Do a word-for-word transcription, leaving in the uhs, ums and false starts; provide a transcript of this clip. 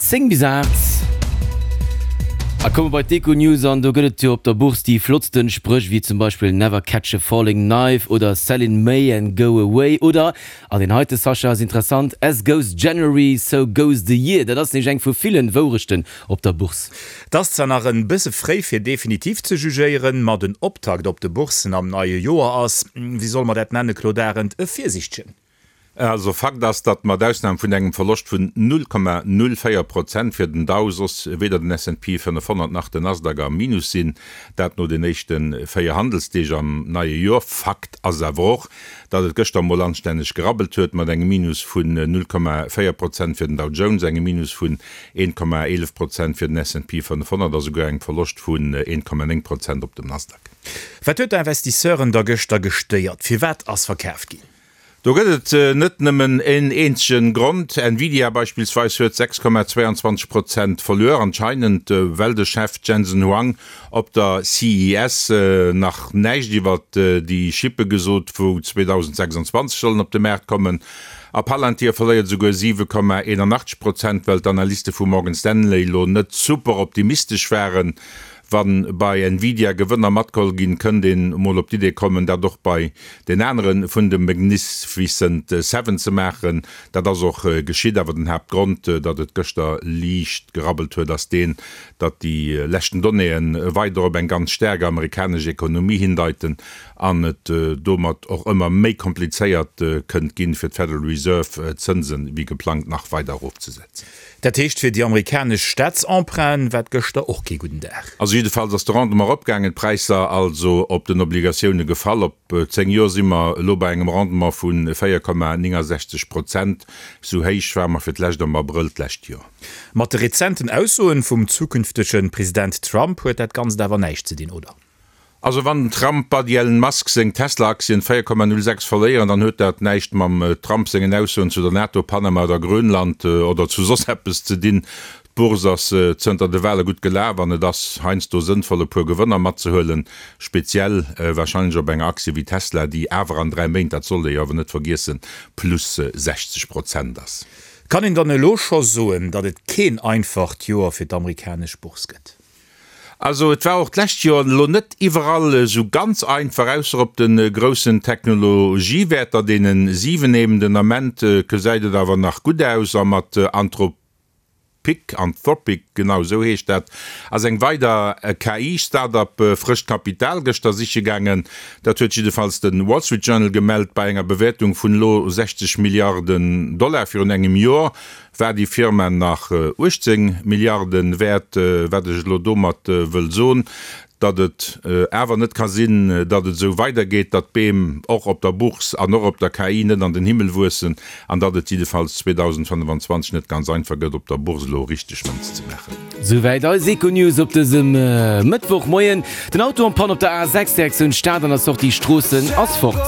Zéng bis aacht. A komme bei d'Econews an do gëtt et jo op der Bourse déi flottsten Spréch wéi zum Beispill Never catch a falling knife oder Sell in May and go away oder, an deen heite Sascha ass interessant, As goes January, so goes the year. Dat ass nämlech eng vu villen Wourechten op der Bourse. Et ass zwar nach en bësse fréi fir definitiv ze jugéieren, ma den Optakt op de Bourssen am neie Joer ass, wéi solle mer dat nennen, Claude Arend, e virsiichtegen. Also Fakt ass, datt mat Ausnam vun engem Verloscht vun null Komma null véier Prozent fir den Dow soss weder den S and P fënnefhonnert nach den Nasdaq am Minus sinn, dat no den éischte véier Handelsdeeg am neie Joer. Fakt ass awer och, datt et gëschter mol anstänneg gerabbelt huet, mat engem Minus vun null Komma véier Prozent fir den Dow Jones, engem Minus vun een Komma eelef Prozent fir den S and P fënnefhonnert a souguer engem Verloscht vun een Komma néng Prozent op dem Nasdaq. Wat huet d'Investisseuren da gëschter gestéiert? Firwat ass verkaaft ginn? Do gëtt et net nëmmen een eenzege Grond. Nvidia beispillsweis huet sechs Komma zweiundzwanzeg Prozent verluer, anscheinend well de Chef Jensen Huang op der C E S nach näischt iwwer déi Chippe gesot, wou zweedausendsechsundzwanzeg sollen op de Maart kommen. A Palantir verléiert esouguer siwe Komma eenanachtzeg Prozent, well d'Analyste vu Morgan Stanley elo net super optimistesch waren. Wa bei Nvidia Gewënner matgeholl ginn, kënnt een mol op d'Idee kommen, dat och bei den anere vun de Magnificent Seven ze maachen. Dat ass och geschitt, awer den Haaptgrond, datt et gëschter liicht gerabbelt huet, ass deen, datt déi leschten Donnéeë weider op eng ganz staark amerikanesch Ekonomie hindeiten an et domat och ëmmer méi komplizéiert kënnt ginn, fir d'Federal Reserve d'Zënsen wéi geplangt nach weider erofzesetzen. Dat heescht fir déi amerikanesch Staatsemprunten war et gëschter och kee gudden Dag. Also jiddefalls ass de Rendement eropgaangen, d'Präisser also op den Obligatioune gefall. Op zéng Joer si mer elo bei engem Rendement vu véier Komma néngungsechzeg Prozent. Esou héich ware mer fir d'lescht am Abrëll d'lescht Joer. Mat de rezenten Aussoen vum zukünftege President Trump huet dat Ganzt awer näischt ze dinn, oder? Also wann den Trump Buddy Elon Musk seng Tesla-Aktien véier Komma null sechs verléieren, dann huet dat näischt mam Trump sengen Aussoen zu der NATO, Panama oder Grönland oder zu soss eppes ze dinn. D'Bourse ass zënter de Wale gutt gelaf an et ass heiansdo sënnvoll e puer Gewënner matzehuelen, speziell warscheinlech op enger Aktie wéi Tesla, déi awer an dräi Méint, dat sollt ee jo awer net vergiessen, plus sechzeg Prozent ass. Kann een dann elo scho soen, datt et keen einfacht Joer fir d'amerikanesch Bourse gëtt? Also et war och d'lescht Joer elo net iwwerall esou ganz einfach, ausser op de groussen Technologiewäerter, deene siwen eben. Den Ament gesäit et awer nach gutt aus a mat Anthropic, Anthropic, genau esou heescht dat, ass eng weider K I-Start-up frëscht Kapital gëschter siche gaangen. Dat huet jiddefalls de Wall Street Journal gemellt. Bei enger Bewäertung vun elo sechzeg Milliarden Dollar virun engem Joer war déi Firma nach uechtzéng Milliarden wäert. Wat ech elo domat wëll soen, datt et awer net ka sinn, datt et esou weidergeet, datt d'Beem och op der Bourse an och op der K I net an den Himmel wuessen an datt et jiddefalls zweedausendfënnefanzwanzeg net ganz einfach gëtt, op der Bourse elo richteg Mënz ze maachen. Souwäit eis Econews op dësem Mëttwochmoien. Den Auto en panne op der A sechs Direktioun Stad an der Sortie Stroossen ass fort.